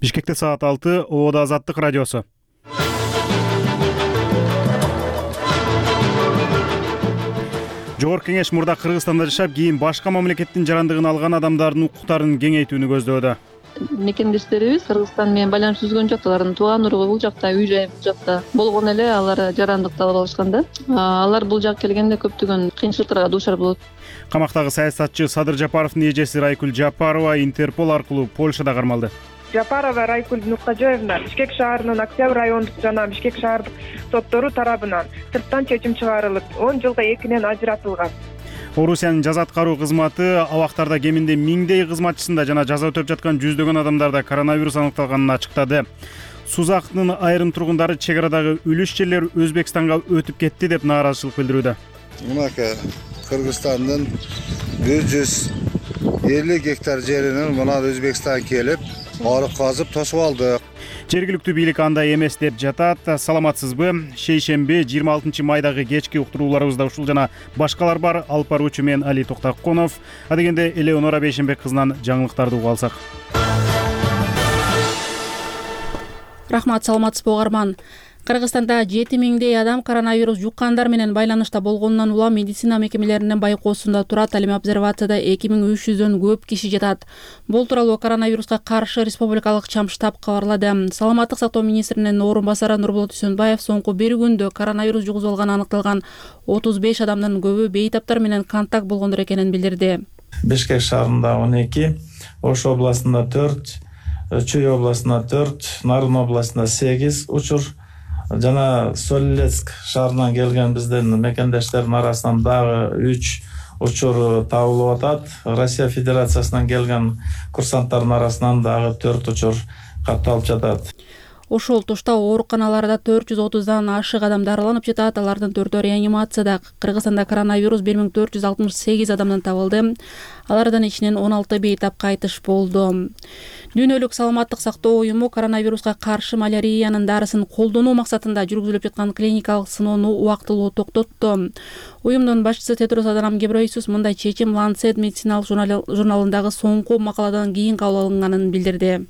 Бишкекте саат 6, Ободо Азаттык радиосу. Жогорку кеңеш мурда Кыргызстанда жашап, кийин башка мамлекеттин жарандыгын алган адамдардын укуктарын кеңейтүүнү көздөөдө. Мекендештерибиз Кыргызстан менен байланыш түзгөн жок. Алардын тууган уругу бул жакта, үй жайы бул жакта болгону эле алар жарандыкты алып алышкан да. Алар бул жакка келгенде көптөгөн кыйынчылыктарга дуушар болот. Камактагы саясатчы Садыр Жапаровдун эжеси Райкүл Жапарова Интерпол аркылуу Польшада кармалды. Жапарова Райкүл Нуркажоевна Бишкек шаарынын Октябрь райондук жана Бишкек шаардык соттору тарабынан сырттан чечим чыгарылып, 10 жылга экинен ажыратылган. Орусиянын жаза аткаруу кызматы абактарда кеминде 1000дей кызматчысында жана жаза өтөп жаткан жүздөгөн адамдарда коронавирус аныкталганын ачыктады. Сузактын айрым тургундары чек арадагы үлүш жерлер Өзбекстанга өтүп кетти деп нааразычылык билдирүүдө. Мынакей Кыргызстандын 150 гектар жеринен мына Өзбекстан келип, арык казып тосуп алды. Жергиликтүү бийлик андай эмес деп жатат. Саламатсызбы? Шейшемби 26 майдагы кечки уктурууларыбызда ушул жана башкалар бар. Алып баруучу мен Али Токтаконов. Адегенде Элеонора Бейшенбек кызынан жаңылыктарды угуп алсак. Рахмат, саламатсызбы угарман. Кыргызстанда 7000дей адам коронавирус жуккандар менен байланышта болгонунан улам медицина мекемелеринин байкоосунда турат. Ал эми обсервацияда 2300дөн көп киши жатат. Бул тууралуу коронавируска каршы республикалык чам штаб кабарлады. Саламаттык сактоо министринин орун басары Нурболот Үсөнбаев соңку бир күндө коронавирус жугузуп алганы аныкталган 35 адамдын көбү бейтаптар менен контакт болгондор экенин билдирди. Бишкек шаарында 12, Ош областында 4, Чүй областында 4, Нарын областында 8 учур жана Солилецк шаарынан келген биздин мекендештердин арасынан дагы 3 учур табылып атат. Россия Федерациясынан келген курсанттардын арасынан дагы 4 учур катталып жатат. Ошол тушта ооруканаларда 430дан ашык адам дарыланып жатат. Алардын 4-өө реанимацияда. Кыргызстанда коронавирус 1468 адамдан табылды. Алардан ичинен 16 бейтап кайтыш болду. Дүйнөлүк саламаттык сактоо уюму коронавируска каршы маляриянын дарысын колдонуу максатында жүргүзүлүп жаткан клиникалык сыноону убактылуу токтотту. Уюмдун башчысы Тедрос Аданом Гебрейсус мындай чечим Lancet медициналык журналындагы соңку макаладан кийин кабыл алынганын билдирди.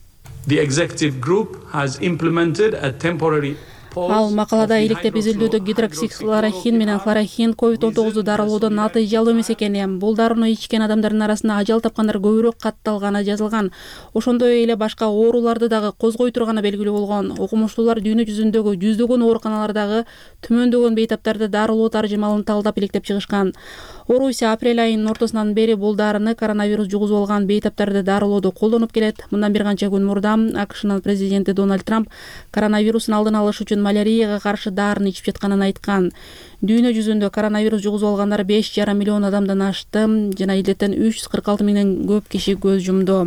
The executive group has implemented a temporary Ал макалада иликтеп изилдөөдө гидроксихлорохин менен хлорохин COVID-19 дарылоодон натыйжалуу эмес экени, бул дарыны ичкен адамдардын арасында ажал тапкандар көбүрөөк катталганы жазылган. Ошондой эле башка ооруларды дагы козгой турганы белгилүү болгон. Окумуштуулар дүйнө жүзүндөгү жүздөгөн ооруканалардагы түмөндөгөн бейтаптарды дарылоо таржымалын талдап иликтеп чыгышкан. Орусия апрель айынын ортосунан бери бул дарыны коронавирус жугузуп алган бейтаптарды дарылоодо колдонуп келет. Мындан бир канча күн мурда АКШнын президенти Дональд Трамп коронавирустун алдын алыш үчүн малярияга каршы дарын ичип жатканын айткан. Дүйнө жүзүндө коронавирус жугузуп алгандар 5,5 миллион адамдан ашты жана илдеттен 346 миңден көп киши көз жумду.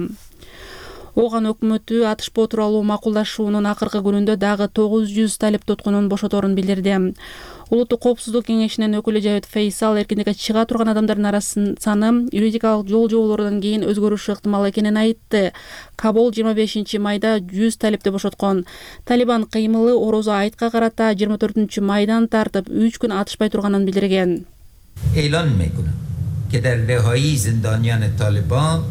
Ооган өкмөтү атышпоо тууралуу макулдашуунун акыркы күнүндө дагы 900 талеп туткунун бошоторун билдирди. Улуттук коопсуздук кеңешинин өкүлү Жавет Фейсал эркиндикке чыга турган адамдардын арасынын саны юридикалык жол-жоболордон кийин өзгөрүшү ыктымал экенин айтты. Кабул 25 майда 100 талепти бошоткон. Талибан кыймылы Орозо айтка карата 24 майдан тартып 3 күн атышпай турганын билдирген. E'lon mekunam ke dar rehayi zindoniyan Taliban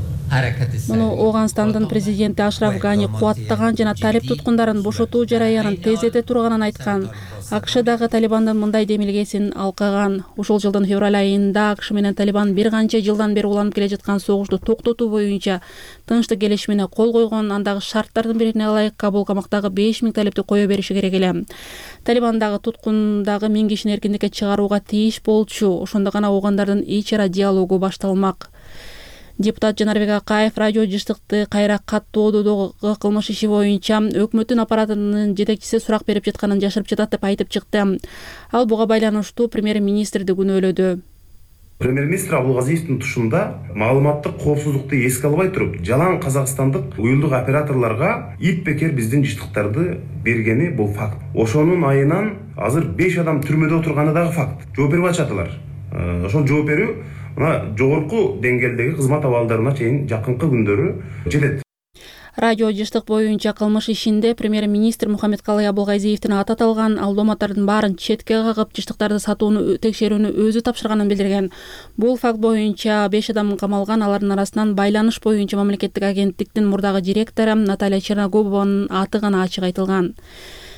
Муну Оганстандын президенти Ашраф Гани кубаттаган жана талеп туткундарын бошотуу жараянын тездете турганын айткан. АКШ дагы Талибандын мындай демилгесин алкаган. Ушул жылдын февраль айында АКШ менен Талибан бир канча жылдан бери уланып келе жаткан согушту токтотуу боюнча тынчтык келишимине кол койгон. Андагы шарттардын бирине ылайык Кабул камактагы 5000 талепти кое бериши керек эле. Талибандагы туткундагы 1000 кишини эркиндикке чыгарууга тийиш болчу. Ошондо гана оогандардын ич ара диалогу башталмак. Депутат Жанарбек Акаев радио жыштыкты кайра каттоодогу кылмыш иши боюнча өкмөттүн аппаратынын жетекчиси сурак берип жатканын жашырып жатат деп айтып чыкты. Ал буга байланыштуу премьер-министрди күнөөлөдү. Премьер-министр Абулгазиевдин тушунда маалыматтык коопсуздукту эске албай туруп, жалаң казакстандык уюлдук операторлорго ип бекер биздин жыштыктарды бергени бул факт. Ошонун айынан азыр 5 адам түрмөдө отурганы дагы факт. Жооп берип атышатылар. Ошол жооп берүү жогорку деңгээлдеги кызмат абалдарына чейин жакынкы күндөрү жетет. Радио жыштык боюнча кылмыш ишинде премьер-министр Мухаммедкалый Абылгазиевдин аты аталган алдооматтардын баарын четке кагып, жыштыктарды сатууну текшерүүнү өзү тапшырганын билдирген. Бул факт боюнча 5 адам камалган, алардын арасынан байланыш боюнча мамлекеттик агенттиктин мурдагы директору Наталья Черногубованын аты гана ачык айтылган.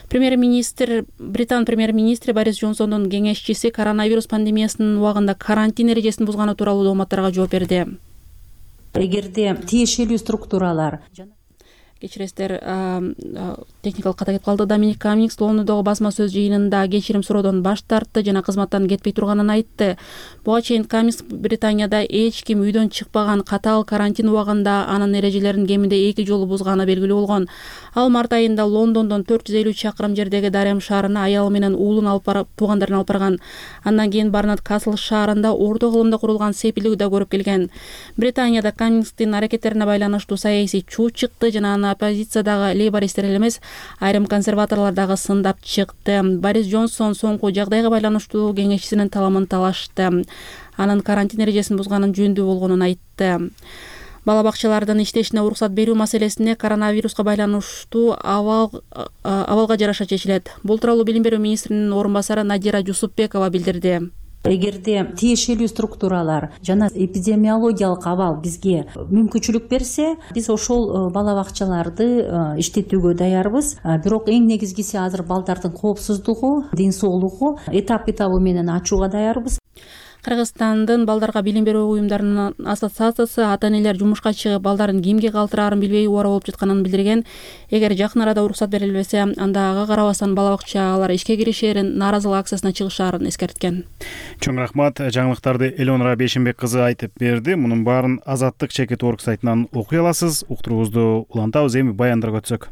Британ премьер-министри Борис Джонсондун кеңешчиси коронавирус пандемиясынын убагында карантин эрежесин бузганы тууралуу дооматтарга жооп берди. Эгерде тиешелүү структуралар кечиресиздер, техникалык ката кетип калды. Доминик Каммингс Лондондогу басма сөз жыйынында кечирим суроодон баш тартты жана кызматтан кетпей турганын айтты. Буга чейин Каммингс Британияда эч ким үйдөн чыкпаган, катаал карантин убагында анын эрежелерин кеминде 2 жолу бузганы белгилүү болгон. Ал март айында Лондондон 450 чакырым жердеги Дарем шаарына аялы менен уулун алып барып, туугандарын алып барган. Андан кийин Барнат Касл шаарында орто кылымда курулган сепилди да көрүп келген. Британияда Каммингстин аракеттерине байланыштуу саясий чуу чыкты жана аны оппозициядагы лейбористтер эмес, айрым консерваторлор дагы сындап чыкты. Борис Джонсон соңку жагдайга байланыштуу кеңешчисинин таламын талашты. Анын карантин эрежесин бузганын жөндүү болгонун айтты. Бала бакчалардын иштешине уруксат берүү маселесине коронавируска байланыштуу абалга жараша чечилет. Бул тууралуу билим берүү министринин орун басары Надира Жусупбекова билдирди. Эгерде тиешелүү структуралар жана эпидемиологиялык абал бизге мүмкүнчүлүк берсе, биз ошол бала бакчаларды иштетүүгө даярбыз. Бирок эң негизгиси азыр балдардын коопсуздугу, ден соолугу этап-этабы менен ачууга даярбыз. Кыргызстандын балдарга билим берүү уюмдарынын ассоциациясы ата-энелер жумушка чыгып балдарын кимге калтыраарын билбей убара болуп жатканын билдирген. Эгер жакын арада уруксат берилбесе, анда ага карабастан бала бакчалар ишке киришээрин, нааразылык акциясына чыгышаарын эскерткен. Чоң рахмат. Жаңылыктарды Элеонора Бейшенбек кызы айтып берди. Мунун баарын Азаттык чекит орг сайтынан окуй аласыз. Уктуруубузду улантабыз, эми баяндарга өтсөк.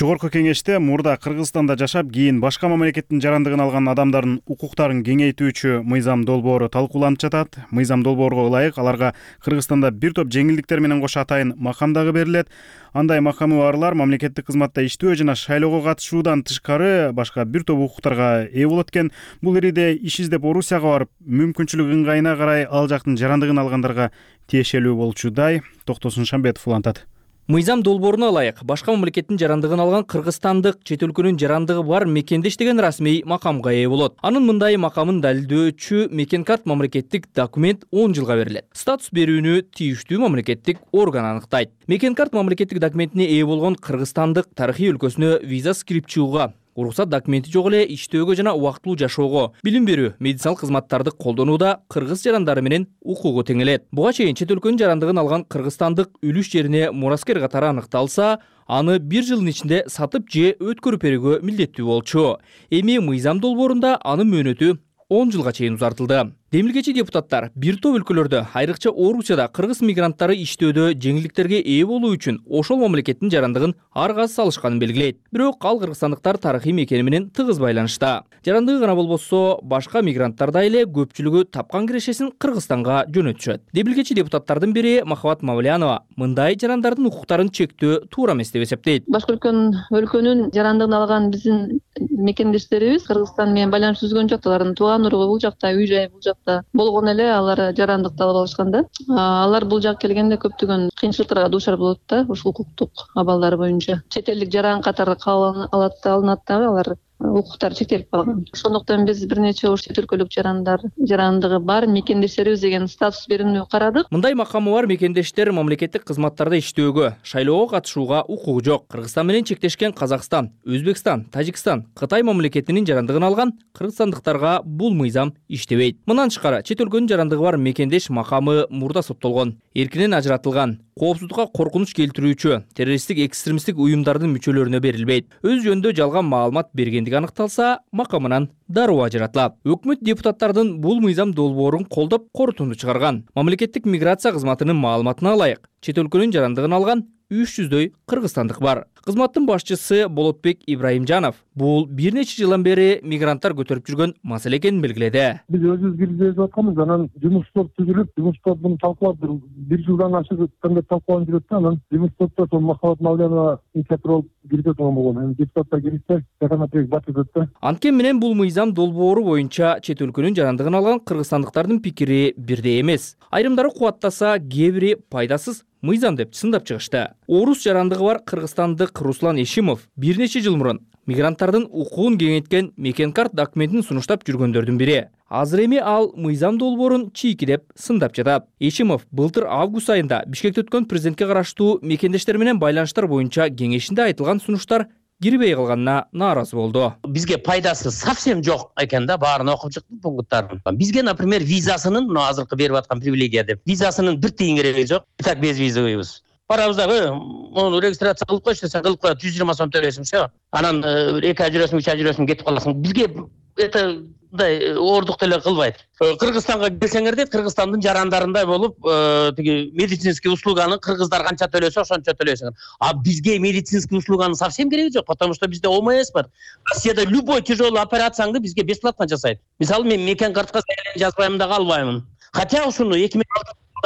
Жогорку кеңеште мурда Кыргызстанда жашап, кийин башка мамлекеттин жарандыгын алган адамдардын укуктарын кеңейтүүчү мыйзам долбоору талкууланып жатат. Мыйзам долбоорго ылайык аларга Кыргызстанда бир топ жеңилдиктер менен кошо атайын макам дагы берилет. Андай макамы барлар мамлекеттик кызматта иштөө жана шайлоого катышуудан тышкары башка бир топ укуктарга ээ болот экен. Бул ириде иш издеп Орусияга барып, мүмкүнчүлүк ыңгайына карай ал жактын жарандыгын алгандарга тиешелүү болчудай. Токтосун Шамбетов улантат. Мыйзам долбооруна ылайык башка мамлекеттин жарандыгын алган кыргызстандык чет өлкөнүн жарандыгы бар мекенде иштеген расмий макамга ээ болот. Анын мындай макамын далилдөөчү мекен карт мамлекеттик документ 10 жылга берилет. Статус берүүнү тийиштүү мамлекеттик орган аныктайт. Мекен карт мамлекеттик документине ээ болгон кыргызстандык тарыхый өлкөсүнө виза кирип чыгууга, уруксат документи жок эле иштөөгө жана убактылуу жашоого, билим берүү, медициналык кызматтарды колдонууда кыргыз жарандары менен укугу теңелет. Буга чейин чет өлкөнүн жарандыгын алган кыргызстандык үлүш жерине мураскер катары аныкталса, аны 1 жылдын ичинде сатып же өткөрүп берүүгө милдеттүү болчу. Эми мыйзам долбоорунда анын мөөнөтү 10 жылга чейин узартылды. Демилгечи депутаттар бир топ өлкөлөрдө, айрыкча Орусияда кыргыз мигранттары иштөөдө жеңилдиктерге ээ болуу үчүн ошол мамлекеттин жарандыгын ар каз салышканын белгилейт. Бирок ал кыргызстандыктар тарыхый мекени менен тыгыз байланышта. Жарандыгы гана болбосо, башка мигранттар да эле көпчүлүгү тапкан кирешесин Кыргызстанга жөнөтүшөт. Демилгечи депутаттардын бири Махабат Мавлянова мындай жарандардын укуктарын чектөө туура эмес деп эсептейт. Башка өлкөнүн жарандыгын алган биздин мекендештерибиз Кыргызстан менен байланыш түзгөн жок. Алардын тууган уругу бул жакта, үй жайы бул жакта болгон эле алар жарандыкты алып алышканда, алар бул жакка келгенде көптөгөн кыйынчылыктарга дуушар болот да, ушул укуктук абалдары боюнча. Чет элдик жаран катары кабыл алынат дагы, алар укуктары чектелип калган. Ошондуктан биз бир нече чет өлкөлүк жарандыгы бар мекендештерибиз деген статус берүүнү карадык. Мындай макамы бар мекендештер мамлекеттик кызматтарда иштөөгө, шайлоого катышууга укугу жок. Кыргызстан менен чектешкен Казакстан, Өзбекстан, Тажикстан, Кытай мамлекетинин жарандыгын алган кыргызстандыктарга бул мыйзам иштебейт. Мындан тышкары чет өлкөнүн жарандыгы бар мекендеш макамы мурда соттолгон, эркинен ажыратылган, коопсуздукка коркунуч келтирүүчү, террористтик экстремисттик уюмдардын мүчөлөрүнө берилбейт. Өз жөнүндө жалган маалымат бергендиги аныкталса, макамынан дароо ажыратылат. Өкмөт депутаттардын бул мыйзам долбоорун колдоп корутунду чыгарган. Мамлекеттик миграция кызматынын маалыматына ылайык, чет өлкөнүн жарандыгын алган 300дөй кыргызстандык бар. Кызматтын башчысы Болотбек Ибраимжанов бул бир нече жылдан бери мигранттар көтөрүп жүргөн маселе экенин белгиледи. Биз өзүбүз киргизип атканбыз, анан жумуш топ түзүлүп, жумуш топ муну талкуулап бир жылдан ашык өткөндө талкууланып жүрөт да, анан жумуш топто сол Махабат Малянова инициатор болуп кирип аткан болгон. Эми депутаттар киришсе, законодательный батырды да. Анткени менен бул мыйзам долбоору боюнча чет өлкөнүн жарандыгын алган кыргызстандыктардын пикири бирдей эмес. Айрымдары кубаттаса, кээ бири пайдасыз мыйзам деп сындап чыгышты. Орус жарандыгы бар кыргызстандык Руслан Ешимов бир нече жыл мурун мигранттардын укугун кеңейткен Мекенкарт документин сунуштап жүргөндөрдүн бири. Азыр эми ал мыйзам долбоорун чийки деп сындап жатат. Ешимов былтыр август айында Бишкекте өткөн президентке караштуу мекендештер менен байланыштар боюнча кеңешинде айтылган сунуштар кирбей калганына нааразы болду. Бизге пайдасы совсем жок экен да, баарын окуп чыктым пункттарын. Бизге, например, визасынын, мына азыркы берип аткан привилегия деп, визасынын бир тиын кереги жок. Так без визовыйбыз. Барабыз дагы, мону регистрация кылып койчу десең, кылып коет, 120 сом төлөйсүң, все. Анан 2 ай жүрөсүң, 3 ай жүрөсүң, кетип каласың. Бизге это мындай ордук деле кылбайт. Кыргызстанга келсеңер дейт, Кыргызстандын жарандарындай болуп, тиги медицинский услуганы кыргыздар канча төлөсө, ошончо төлөйсүң. А бизге медицинский услуганын совсем кереги жок, потому что бизде ОМС бар. Россияда любой тяжелый операцияңды бизге бесплатно жасайт. Мисалы, мен Мекенкартка жазбайм да калбаймын. Хотя ушуну 2006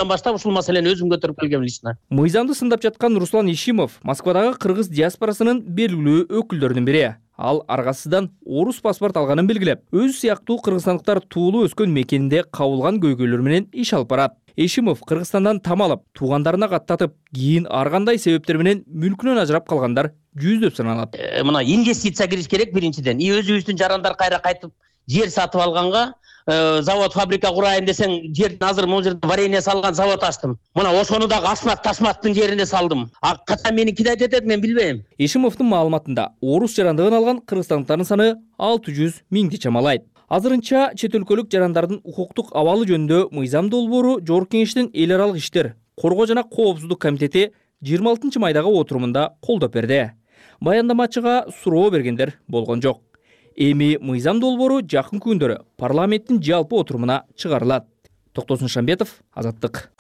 баштап ушул маселени өзүм көтөрүп келгем лично. Мыйзамды сындап жаткан Руслан Ишимов Москвадагы кыргыз диаспорасынын белгилүү өкүлдөрүнүн бири. Ал аргасыздан орус паспорт алганын белгилеп, өзү сыяктуу кыргызстандыктар туулуу өскөн мекенинде кабылган көйгөйлөр менен иш алып барат. Ишимов Кыргызстандан там алып, туугандарына каттатып, кийин ар кандай себептер менен мүлкүнөн ажырап калгандар жүздөп саналат. Мына инвестиция кириш керек биринчиден. Өзүбүздүн жарандар кайра кайтып жер сатып алганга, завод, фабрика курайын десең, жердин азыр могу жерде варенье салган завод ачтым. Мына ошону дагы Асмат Ташматтын жерине салдым. А качан меникиде айтат, мен билбейм. Ишимовдун маалыматында орус жарандыгын алган кыргызстандыктардын саны 600 миңди чамалайт. Азырынча чет өлкөлүк жарандардын укуктук абалы жөнүндө мыйзам долбоору Жогорку Кеңештин эл аралык иштер, коргоо жана коопсуздук комитети 26 майдагы отурумунда колдоп берди. Баяндамачыга суроо бергендер болгон жок. Эми мыйзам долбоору жакын күндөрү парламенттин жалпы отурумуна чыгарылат. Токтосун Шамбетов, Азаттык.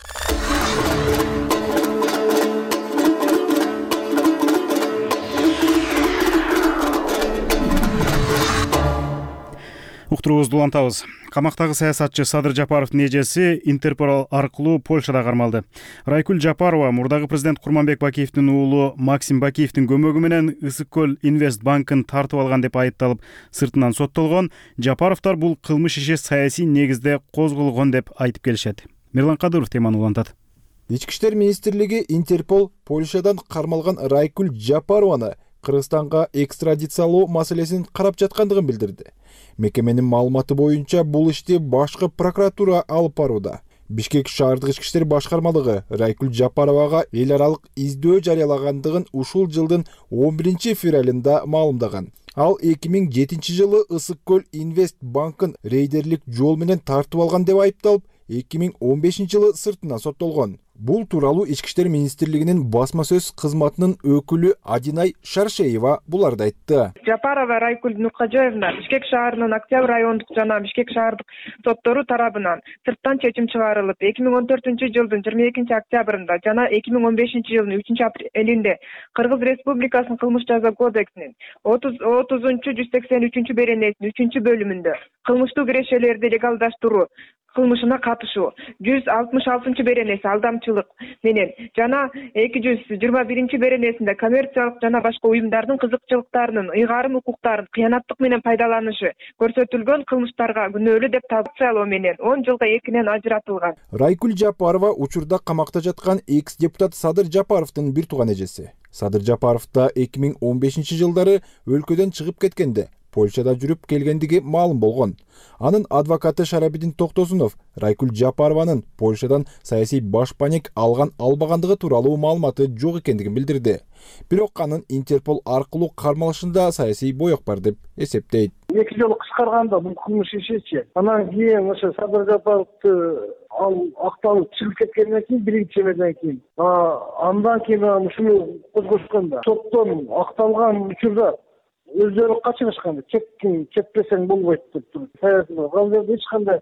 Уктуруубузду улантабыз. Камактагы саясатчы Садыр Жапаровдун эжеси Интерпол аркылуу Польшада кармалды. Райкүл Жапарова мурдагы президент Курманбек Бакиевдин уулу Максим Бакиевдин көмөгү менен Ысык көл Инвест банкын тартып алган деп айыпталып, сыртынан соттолгон. Жапаровдор бул кылмыш иши саясий негизде козголгон деп айтып келишет. Мирлан Кадыров теманы улантат. Ички иштер министрлиги Интерпол Польшадан кармалган Райкүл Жапарованы Кыргызстанга экстрадициялоо маселесин карап жаткандыгын билдирди. Мекеменин маалыматы боюнча бул ишти башкы прокуратура алып барууда. Бишкек шаардык ички иштер башкармалыгы Райкүл Жапаровага эл аралык издөө жарыялагандыгын ушул жылдын 11 февралында маалымдаган. Ал 2007 жылы Ысык көл Инвест банкын рейдерлик жол менен тартып алган деп айыпталып, 2015 жылы сыртынан соттолгон. Бул тууралуу Ички иштер министрлигинин басма сөз кызматынын өкүлү Адинай Шаршеева буларды айтты. Жапарова Райкүл Нуркажоевна Бишкек шаарынын Октябрь райондук жана Бишкек шаардык соттору тарабынан сырттан чечим чыгарылып, 2014 жылдын 22 октябрында жана 2015 жылдын 3 апрелинде Кыргыз Республикасынын кылмыш жаза кодексинин 30-183 беренесинин 3 бөлүмүндө кылмыштуу кирешелерди легалдаштыруу кылмышына катышуу 166 беренеси алдамчылык менен жана 221 беренесинде коммерциялык жана башка уюмдардын кызыкчылыктарынын ыйгарым укуктарын кыянаттык менен пайдаланышы көрсөтүлгөн кылмыштарга күнөөлүү деп табылуу менен 10 жылга экинен ажыратылган. Райкүл Жапарова учурда камакта жаткан экс-депутат Садыр Жапаровдун бир тууган эжеси. Садыр Жапаров да 2015 жылдары өлкөдөн чыгып кеткенде Польшада жүрүп келгендиги маалым болгон. Анын адвокаты Шарабидин Токтосунов Райкүл Жапарованын Польшадан саясий башпаник албагандыгы тууралуу маалыматы жок экендигин билдирди. Бирок анын Интерпол аркылуу кармалышында саясий боек бар деп эсептейт. 2 жолу кыскарганда бул кылмыш ишичи. Анан кийин ошо Садыр Жапаровду ал акталып чыгып кеткенден кийин биринчи эмеден кийин андан кийин ушуну козгошкон да. Соттон акталган учурда өздөрү качырышкан. Кетпесең болбойт деп туруп. Ал жерде эч кандай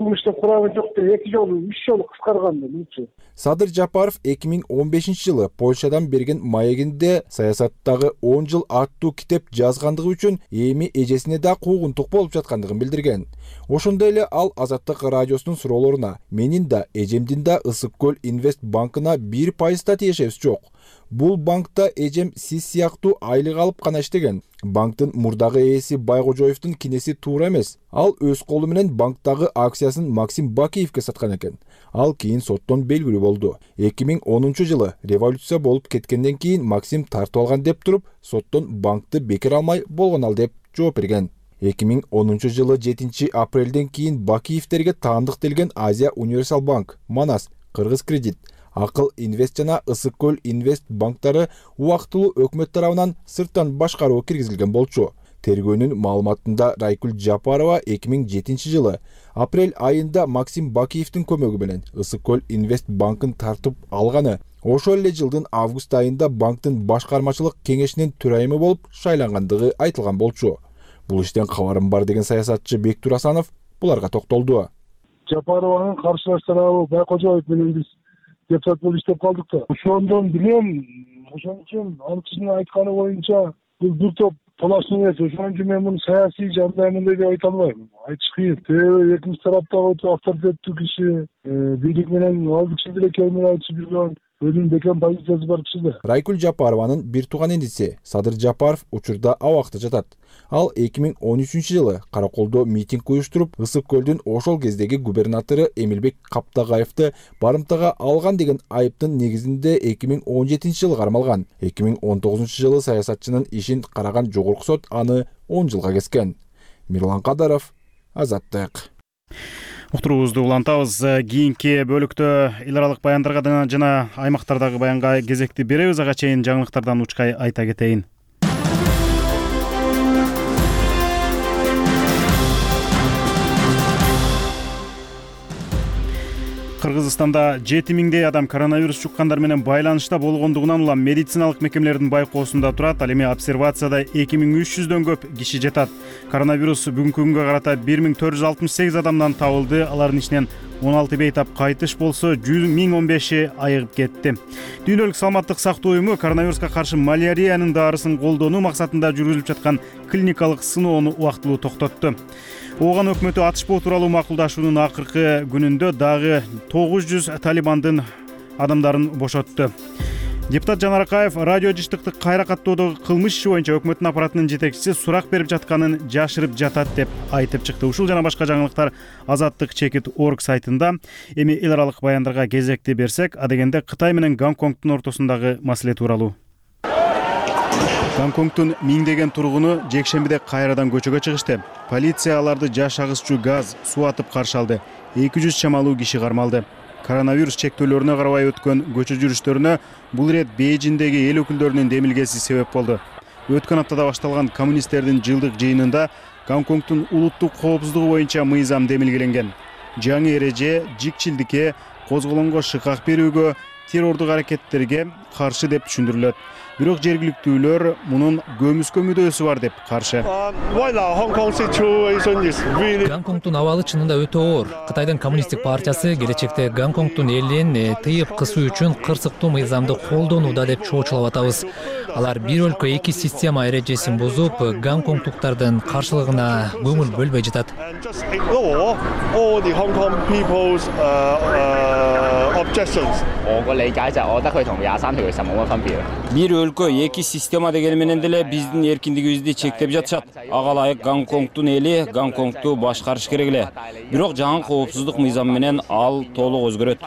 кылмыштын курамы жок деп 2 жолу 3 жолу кыскарган мынча. Садыр Жапаров 2015 жылы Польшадан берген маегинде саясаттагы 10 жыл аттуу китеп жазгандыгы үчүн эми эжесине да куугунтук болуп жаткандыгын билдирген. Ошондой эле ал Азаттык радиосунун суроолоруна менин да эжемдин да Ысык көл Инвест банкына 1% да тиешебиз жок. Бул банкта эжем сиз сыяктуу айлык алып гана иштеген. Банктын мурдагы ээси Байгожоевдун кинеси туура эмес. Ал өз колу менен банктагы акциясын Максим Бакиевке саткан экен. Ал кийин соттон белгилүү болду. 2010 жылы революция болуп кеткенден кийин Максим тартып алган деп туруп, соттон банкты бекер алмай болгон ал деп жооп берген. 2010 жылы 7 апрелден кийин Бакиевтерге таандык делген Азия Универсал банк, Манас, Кыргыз кредит, Акыл Инвест жана Ысык көл Инвест банктары убактылуу өкмөт тарабынан сырттан башкарууга киргизилген болчу. Тергөөнүн маалыматында Райкүл Жапарова 2007 жылы апрель айында Максим Бакиевдин көмөгү менен Ысык көл Инвест банкын тартып алганы, ошол эле жылдын август айында банктын башкармачылык кеңешинин төрайымы болуп шайлангандыгы айтылган болчу. Бул иштен кабарым бар деген саясатчы Бектур Асанов буларга токтолду. Жапарованын каршылаш тарабы Байкожоев менен биз депутат болуп иштеп калдык да. Ошондон билем, ошон үчүн ал кишинин айтканы боюнча бул бир топ талашчы эмес. Ошон үчүн мен муну саясий жандай мындай деп айта албайм. Айтыш кыйын. Себеби экинчи тараптагы өтө авторитеттүү киши, бийлик менен ал киши деле келмей айтышып жүргөн, өзүнүн бекем позициясы бар киши да. Райкүл Жапарованын бир тууган иниси Садыр Жапаров учурда абакта жатат. Ал 2013 жылы Караколдо митинг уюштуруп, Ысык көлдүн ошол кездеги губернатору Эмилбек Каптагаевди барымтага алган деген айыптын негизинде 2017 жылы кармалган. 2019 жылы саясатчынын ишин караган жогорку сот аны 10 жылга кескен. Мирлан Кадаров, Азаттык. Уктуруубузду улантабыз. Кийинки бөлүктө эл аралык баяндарга жана аймактардагы баянга кезекти беребиз. Ага чейин жаңылыктардан учкай айта кетейин. Кыргызстанда 7000дей адам коронавирус жуккандар менен байланышта болгондугунан улам медициналык мекемелердин байкоосунда турат. Ал эми обсервацияда 2300дөн көп киши жатат. Коронавирус бүгүнкү күнгө карата 1468 адамдан табылды. Алардын ичинен 16 бейтап кайтыш болсо, 1015 айыгып кетти. Дүйнөлүк саламаттык сактоо уюму коронавируска каршы маляриянын дарысын колдонуу максатында жүргүзүлүп жаткан клиникалык сыноону убактылуу токтотту. Ооган өкмөтү атышпоо тууралуу макулдашуунун акыркы күнүндө дагы 900 талибандын адамдарын бошотту. Депутат Жан Аракаев радио жыштыкты кайра каттоодогу кылмыш иши боюнча өкмөттүн аппаратынын жетекчиси сурак берип жатканын жашырып жатат деп айтып чыкты. Ушул жана башка жаңылыктар Азаттык.org сайтында. Эми эл аралык баяндарга кезекти берсек, адегенде Кытай менен Гонконгдун ортосундагы маселе тууралуу. Гонконгдун миңдеген тургуну жекшембиде кайрадан көчөгө чыгышты. Полиция аларды жаш агызчу газ, суу атып каршы алды. 200 чамалуу киши кармалды. Коронавирус чектөөлөрүнө карабай өткөн көчө жүрүштөрүнө бул ирет Бейжиңдеги эл өкүлдөрүнүн демилгеси себеп болду. Өткөн аптада башталган коммунисттердин жылдык жыйынында Гонконгдун улуттук коопсуздугу боюнча мыйзам демилгеленген. Жаңы эреже жикчилдикке, козголоңго шыкак берүүгө, террордук аракеттерге каршы деп түшүндүрүлөт. Бирок жергиликтүүлөр мунун көмүскө мүдөөсү бар деп каршы. Гонконгдун абалы чынында өтө оор. Кытайдын коммунисттик партиясы келечекте Гонконгдун элин тыйып кысуу үчүн кырсыктуу мыйзамды колдонууда деп чоочулап атабыз. Алар бир өлкө эки система эрежесин бузуп, гонконгдуктардын каршылыгына көңүл бөлбөй жатат. Бир өлкө эки система дегени менен деле биздин эркиндигибизди чектеп жатышат. Ага ылайык Гонконгдун эли Гонконгду башкарыш керек эле. Бирок жаңы коопсуздук мыйзамы менен ал толук өзгөрөт.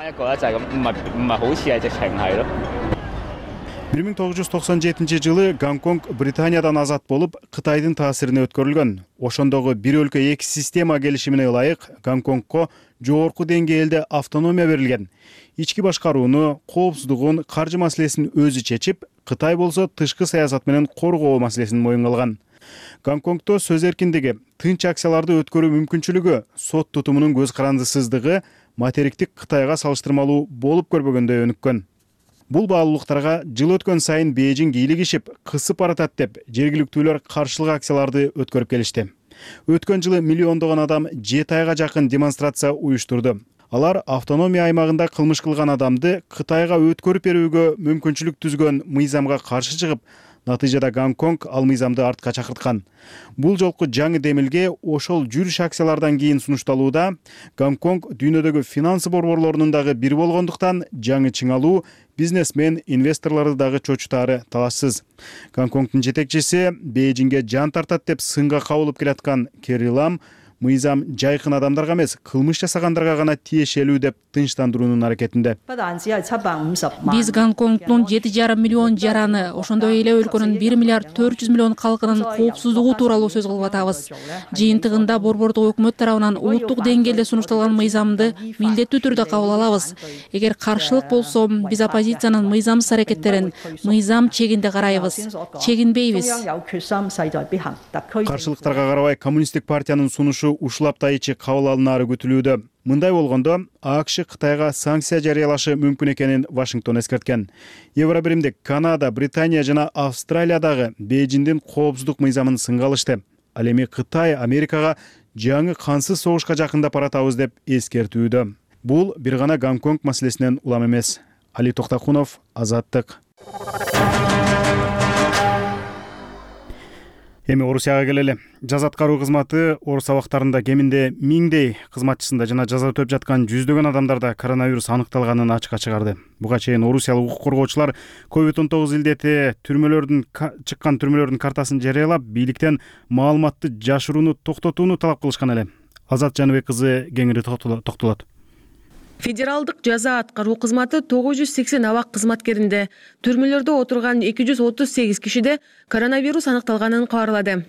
1997 жылы Гонконг Британиядан азат болуп, Кытайдын таасирине өткөрүлгөн. Ошондогу бир өлкө эки система келишимине ылайык Гонконгко жогорку деңгээлде автономия берилген. Ички башкарууну, коопсуздугун, каржы маселесин өзү чечип, Кытай болсо тышкы саясат менен коргоо маселесин моюнга алган. Гонконгдо сөз эркиндиги, тынч акцияларды өткөрүү мүмкүнчүлүгү, сот тутумунун көз карандысыздыгы материктик Кытайга салыштырмалуу болуп көрбөгөндөй өнүккөн. Бул баалуулуктарга жыл өткөн сайын Бейжиң бийлигишип, кысып баратат деп жергиликтүүлөр каршылык акцияларды өткөрүп келишти. Өткөн жылы миллиондогон адам 7 айга жакын демонстрация уюштурду. Алар автономия аймагында кылмыш кылган адамды Кытайга өткөрүп берүүгө мүмкүнчүлүк түзгөн мыйзамга каршы чыгып, натыйжада Гонконг ал мыйзамды артка чакырткан. Бул жолку жаңы демилге ошол жүрүш акциялардан кийин сунушталууда. Гонконг дүйнөдөгү финансы борборлорунун дагы бири болгондуктан жаңы чыңалуу бизнесмен, инвесторлорду дагы чочутаары талашсыз. Гонконгдун жетекчиси Бейжиңге жан тартат деп сынга кабылып келаткан Керри Лам мыйзам жайкын адамдарга эмес, кылмыш жасагандарга гана тиешелүү деп тынчтандыруунун аракетинде. Биз Гонконгдун 7,5 миллион жараны, ошондой эле өлкөнүн 1 миллиард 400 миллион калкынын коопсуздугу тууралуу сөз кылып атабыз. Жыйынтыгында борбордук өкмөт тарабынан улуттук деңгээлде сунушталган мыйзамды милдеттүү түрдө кабыл алабыз. Эгер каршылык болсо, биз оппозициянын мыйзамсыз аракеттерин мыйзам чегинде карайбыз. Чегинбейбиз. Каршылыктарга карабай коммунисттик партиянын сунушу ушул апта ичи кабыл алынаары күтүлүүдө. Мындай болгондо АКШ Кытайга санкция жарыялашы мүмкүн экенин Вашингтон эскерткен. Евробиримдик Канада, Британия жана Австралиядагы Бейжиңдин коопсуздук мыйзамын сынга алышты. Ал эми Кытай Америкага жаңы кансыз согушка жакындап баратабыз деп эскертүүдө. Бул бир гана Гонконг маселесинен улам эмес. Али Токтакунов, Азаттык. Эми Орусияга келели. Жаза аткаруу кызматы Орус абактарында кеминде 1000дей кызматчысында жана жаза өтөп жаткан жүздөгөн адамдарда коронавирус аныкталганын ачыкка чыгарды. Буга чейин орусиялык укук коргоочулар COVID-19 илдети чыккан түрмөлөрдүн картасын жарыялап, бийликтен маалыматты жашырууну токтотууну талап кылышкан эле. Азат Жаныбек кызы кеңири токтолот. Федералдык жаза аткаруу кызматы 980 абак кызматкеринде, түрмөлөрдө отурган 238 кишиде коронавирус аныкталганын кабарлады.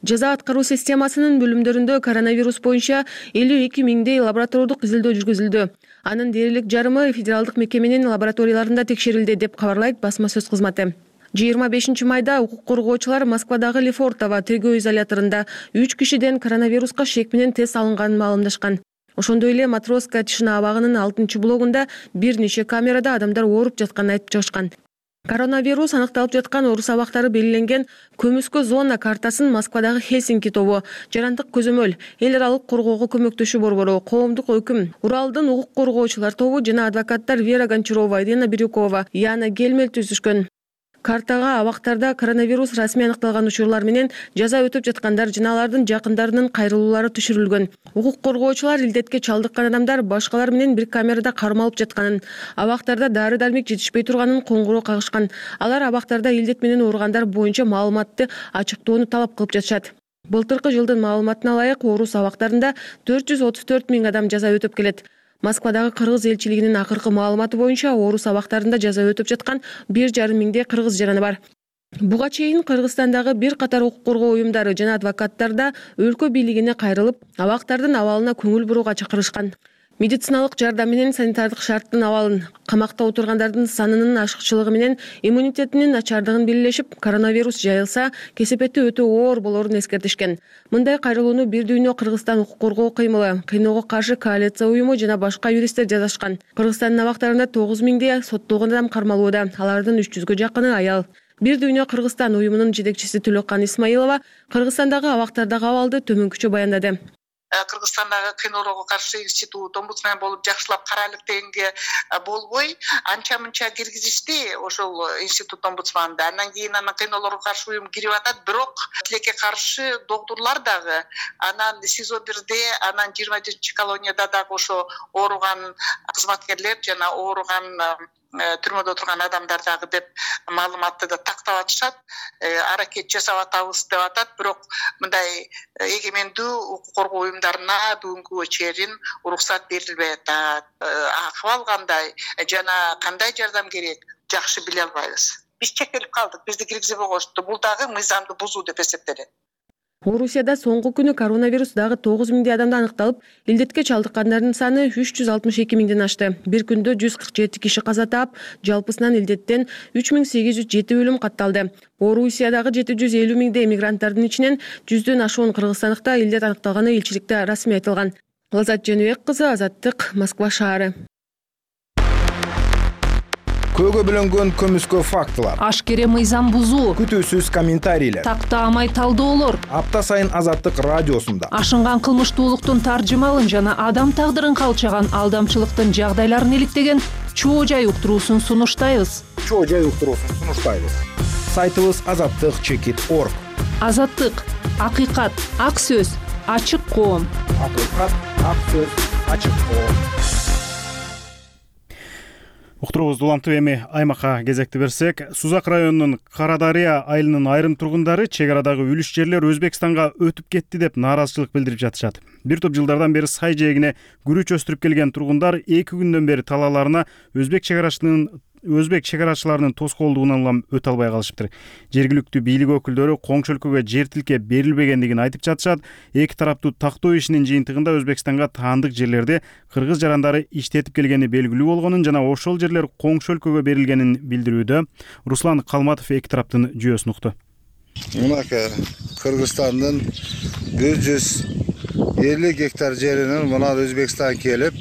Жаза аткаруу системасынын бөлүмдөрүндө коронавирус боюнча 52 миңдей лабораториялык изилдөө жүргүзүлдү. Анын дээрлик жарымы федералдык мекеменин лабораторияларында текшерилди деп кабарлайт басма сөз кызматы. 25 майда укук коргоочулар Москвадагы Лефортово тергөө изоляторунда 3 кишиден коронавируска шек менен тест алынганын маалымдашкан. Ошондой эле Матроска Тишина абагынын 6-блогунда бир нече камерада адамдар ооруп жатканын айтып чыгышкан. Коронавирус аныкталып жаткан орус абактары белгиленген көмүскө зона картасын Москвадагы Хельсинки тобу, Жарандык көзөмөл, эл аралык коргоого көмөктөшүү борбору, коомдук өкүм, Уралдын укук коргоочулар тобу жана адвокаттар Вера Гончарова, Ирина Бирюкова, Яна Гельмель түзүшкөн. Картага абактарда коронавирус расмий аныкталган учурлар менен жаза өтөп жаткандар жана алардын жакындарынын кайрылуулары түшүрүлгөн. Укук коргоочулар илдетке чалдыккан адамдар башкалар менен бир камерада кармалып жатканын, абактарда дары-дармек жетишпей турганын коңгуроо кагышкан. Алар абактарда илдет менен ооругандар боюнча маалыматты ачыктоону талап кылып жатышат. Былтыркы жылдын маалыматына ылайык орус абактарында 434 миң адам жаза өтөп келет. Москвадагы кыргыз элчилигинин акыркы маалыматы боюнча орус абактарында жаза өтөп жаткан 1,5 миңдей кыргыз жараны бар. Буга чейин Кыргызстандагы бир катар укук коргоо уюмдары жана адвокаттар да өлкө бийлигине кайрылып, абактардын абалына көңүл бурууга чакырышкан. Медициналык жардам менен санитардык шарттын абалын, камакта отургандардын санынын ашыкчылыгы менен иммунитетинин начардыгын белгилешип, коронавирус жайылса, кесепети өтө оор болорун эскертишкен. Мындай кайрылууну Бир дүйнө Кыргызстан укук коргоо кыймылы, кыйноого каршы коалиция уюму жана башка юристтер жазышкан. Кыргызстандын абактарында 9 миңдей соттолгон адам кармалууда, алардын 300гө жакыны аял. Бир дүйнө Кыргызстан уюмунун жетекчиси Төлөккан Исмаилова Кыргызстандагы абактардагы абалды төмөнкүчө баяндады. Кыргызстандагы кыйноолорго каршы институт омбудсмен болуп жакшылап карайлык дегенге болбой анча мынча киргизишти ошол институт омбудсманында. Андан кийин анан кыйноолорго каршы уюм кирип атат, бирок тилекке каршы доктурлар дагы анан СИЗО 1де, анан 20 колонияда дагы ошо ооруган кызматкерлер жана ооруган түрмөдө отурган адамдар дагы деп маалыматты да тактап атышат, аракет жасап атабыз деп атат, бирок мындай эгемендүү укук коргоо уюмдарына бүгүнкүгө чейин уруксат берилбей атат. Акыбал кандай жана кандай жардам керек жакшы биле албайбыз. Биз чектелип калдык, бизди киргизбей коюшту. Бул дагы мыйзамды бузуу деп эсептелет. Орусияда соңку күнү коронавирус дагы 9 миңдей адамда аныкталып, илдетке чалдыккандардын саны 362 миңден ашты. Бир күндө 147 киши каза таап, жалпысынан илдеттен 3807 өлүм катталды. Орусиядагы 750 миңдей мигранттардын ичинен 100дөн ашуун кыргызстандыкта илдет аныкталганы элчиликте расмий айтылган. Азат Жаныбек кызы, Азаттык, Москва шаары. көөгө бөлөнгөн көмүскө фактылар, ашкере мыйзам бузуу, күтүүсүз комментарийлер, тактаамай талдоолор апта сайын Азаттык радиосунда ашынган кылмыштуулуктун таржымалын жана адам тагдырын калчаган алдамчылыктын жагдайларын иликтеген чоо жай уктуруусун сунуштайбыз. Сайтыбыз azattik.org. Азаттык, акыйкат, ак сөз, ачык коом. Акыйкат, ак сөз, ачык коом. Уктуруубузду улантып эми аймакка кезекти берсек, Сузак районунун Кара Дарыя айылынын айрым тургундары чек арадагы үлүш жерлер Өзбекстанга өтүп кетти деп нааразычылык билдирип жатышат. Бир топ жылдардан бери сай жээгине күрүч өстүрүп келген тургундар 2 күндөн бери талааларына өзбек чегарачыларынын тоскоолдугунан улам өтө албай калышыптыр. Жергиликтүү бийлик өкүлдөрү коңшу өлкөгө жер тилке берилбегендигин айтып жатышат. Эки тараптуу тактоо ишинин жыйынтыгында Өзбекстанга таандык жерлерди кыргыз жарандары иштетип келгени белгилүү болгонун жана ошол жерлер коңшу өлкөгө берилгенин билдирүүдө. Руслан Калматов эки тараптын жүйөсүн укту. Мынакей Кыргызстандын 150 гектар жеринин мына Өзбекстан келип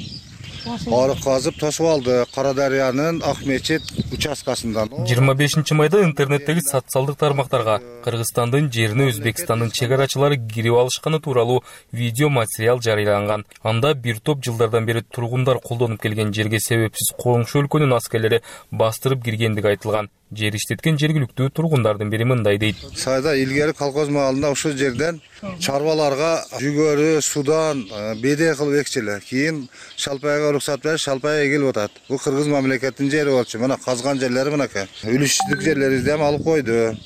арык казып тосуп алды. Кара Дарыянын Акмечит участкасында. 25 майда интернеттеги социалдык тармактарга Кыргызстандын жерине Өзбекстандын чегарачылары кирип алышканы тууралуу видео материал жарыяланган. Анда бир топ жылдардан бери тургундар колдонуп келген жерге себепсиз коңшу өлкөнүн аскерлери бастырып киргендиги айтылган. Жер иштеткен жергиликтүү тургундардын бири мындай дейт. Сайда илгери колхоз маалында ушул жерден чарбаларга жүгөрү, судан бедей кылып экчиле. Кийин Шалпайга уруксат берип, Шалпай эгилип атат. Бул кыргыз мамлекетинин жери болчу. Мына казган жерлери мынакей. Үлүштүк жерлерибизди эми алып койду.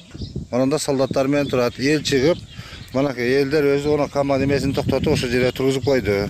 Ананда солдаттар менен турат. Эл чыгып, мынакей элдер өзү она команда эмесин токтотуп ошол жерге тургузуп койду.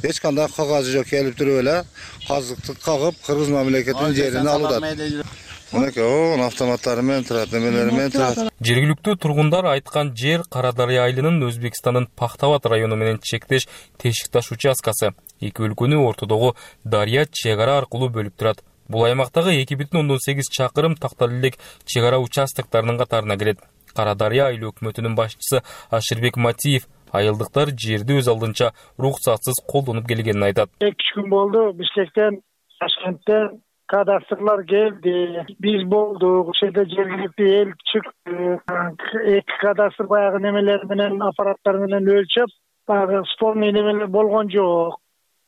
Эч кандай кагазы жок, келип туруп эле казыктык кагып кыргыз мамлекетинин жерин алып атат. Мынакей автоматтары менен турат, немелери менен турат. Жергиликтүү тургундар айткан жер Кара Дарыя айылынын Өзбекстандын Пахтават району менен чектеш Тешикташ участкасы. Эки өлкөнү ортодогу Дарыя чек ара аркылуу бөлүп турат. Бул аймактагы 2,8 чакырым тактал элек чек ара участоктарынын катарына кирет. Кара Дарыя айыл өкмөтүнүн башчысы Аширбек Матиев айылдыктар жерди өз алдынча уруксатсыз колдонуп келгенин айтат. 2 күн болду Бишкектен, Ташкенттен кадастрлар келди. Биз болдук. Ошол жерде жергиликтүү эл чыкты. Эки кадастр баягы немелер менен аппараттар менен өлчөп, баягы спорный немелер болгон жок.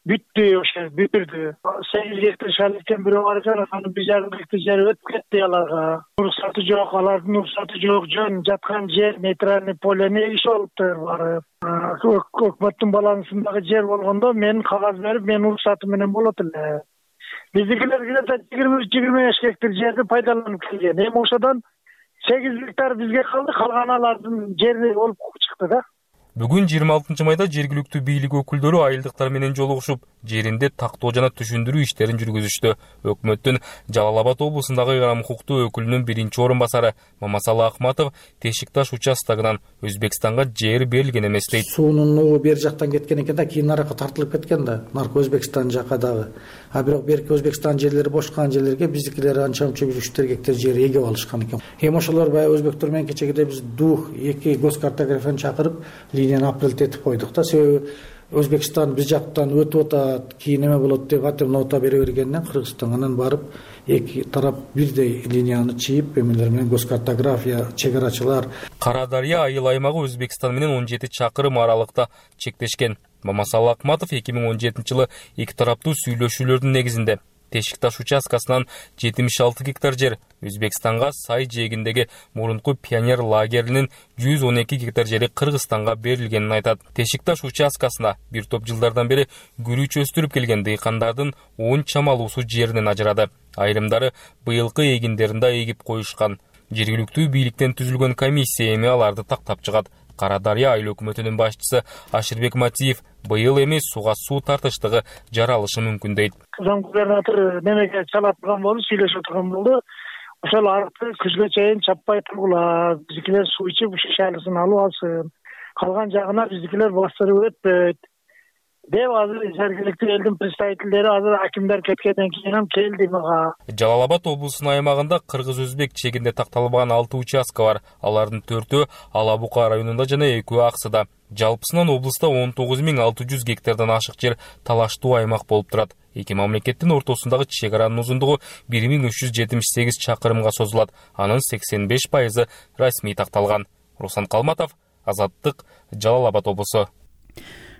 Бүттү, ошо бүтүрдү. 8 гектар шаликтен бирөө бар экен, анын 1,5 гектар жери өтүп кетти аларга. Уруксаты жок, алардын уруксаты жок. Жөн жаткан жер нейтральный полени иш болуптур барып. Өкмөттүн балансындагы жер болгондо мен кагаз берип, мен уруксаты менен болот эле. Биздикилер где-то 20-25 гектар жерди пайдаланып келген. Эми ошодон 8 гектар бизге калды, калган алардын жери болуп чыкты да. Бүгүн 26 майда жергиликтүү бийлик өкүлдөрү айылдыктар менен жолугушуп, жеринде тактоо жана түшүндүрүү иштерин жүргүзүштү. Өкмөттүн Жалал Абад облусундагы ыйгарым укуктуу өкүлүнүн биринчи орун басары Мамасалы Акматов Тешикташ участогунан Өзбекстанга жер берилген эмес дейт. Суунун нугу бер жактан кеткен экен да, кийин наракка тартылып кеткен да, наркы Өзбекстан жака дагы. А бирок берки Өзбекстан жерлери бошкан жерлерге биздикилер анча-мунча 3 гектар жер эгеп алышкан экен. Эми ошолор баягы өзбектер менен кечегиде биз дух 2 госкартографияны чакырып линияны апрелде этип койдук да. Себеби Өзбекстан биз жактан өтүп атат, кийин эме болот деп атып нота бере бергенден Кыргызстан анан барып эки тарап бирдей линияны чийип, эмелер менен госкартография, чегарачылар. Кара Дарыя айыл аймагы Өзбекстан менен 17 чакырым аралыкта чектешкен. Мамасалы Акматов 2017-жылы эки тараптуу сүйлөшүүлөрдүн негизинде Тешикташ участкасынан 76 гектар жер Өзбекстанга сай жээгиндеги мурунку пионер лагеринин 112 гектар жери Кыргызстанга берилгенин айтат. Тешикташ участкасына бир топ жылдардан бери күрүч өстүрүп келген дыйкандардын 10 чамалуусу жеринен ажырады. Айрымдары быйылкы эгиндеринде эгип коюшкан. Жергиликтүү бийликтен түзүлгөн комиссия эми аларды тактап чыгат. Кара Дарыя айыл өкмөтүнүн башчысы Аширбек Матиев быйыл эми сууга суу тартыштыгы жаралышы мүмкүн дейт. Зам губернатор немеге чалап турган болду, сүйлөшүп турган болду. Ошол арыкты күзгө чейин чаппай тургула, биздикилер суу ичип ушу шайлысын алып алсын. Калган жагына биздикилер бастырып өтпөйт деп азыр жергиликтүү элдин представительдери азыр акимдер кеткенден кийин ham келди мага. Жалал Абад облусунун аймагында кыргыз-өзбек чегинде такталбаган 6 участка бар. Алардын 4-өө Ала Бука районунда жана 2-өө Аксыда. Жалпысынан облуста 19600 гектардан ашык жер талаштуу аймак болуп турат. Эки мамлекеттин ортосундагы чек аранын узундугу 1378 чакырымга созулат. Анын 85% расмий такталган. Руслан Калматов, Азаттык, Жалал Абад облусу.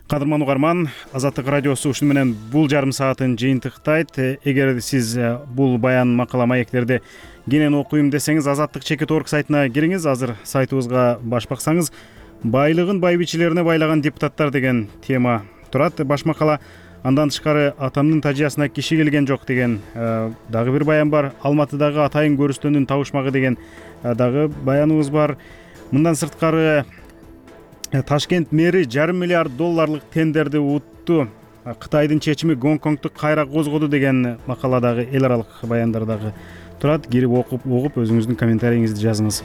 Кадырман угарман, Азаттык радиосу ушуну менен бул жарым саатын жыйынтыктайт. Эгер сиз бул баян, макала, маектерди кенен окуйм десеңиз, Азаттык.org сайтына кириңиз. Азыр сайтыбызга баш баксаңыз, байлыгын бай бичилерине байлаган депутаттар деген тема турат. Баш макала. Андан тышкары атамдын тажыясына киши келген жок деген дагы бир баян бар. Алматыдагы атайын көрүстөндүн табышмагы деген дагы баяныбыз бар. Мындан сырткары Ташкент мэри $500 миллиард тендерди утту. Кытайдын чечими Гонконгду кайра козгоду деген макаладагы эл аралык баяндар дагы турат. Кирип окуп өзүңүздүн комментарийиңизди жазыңыз.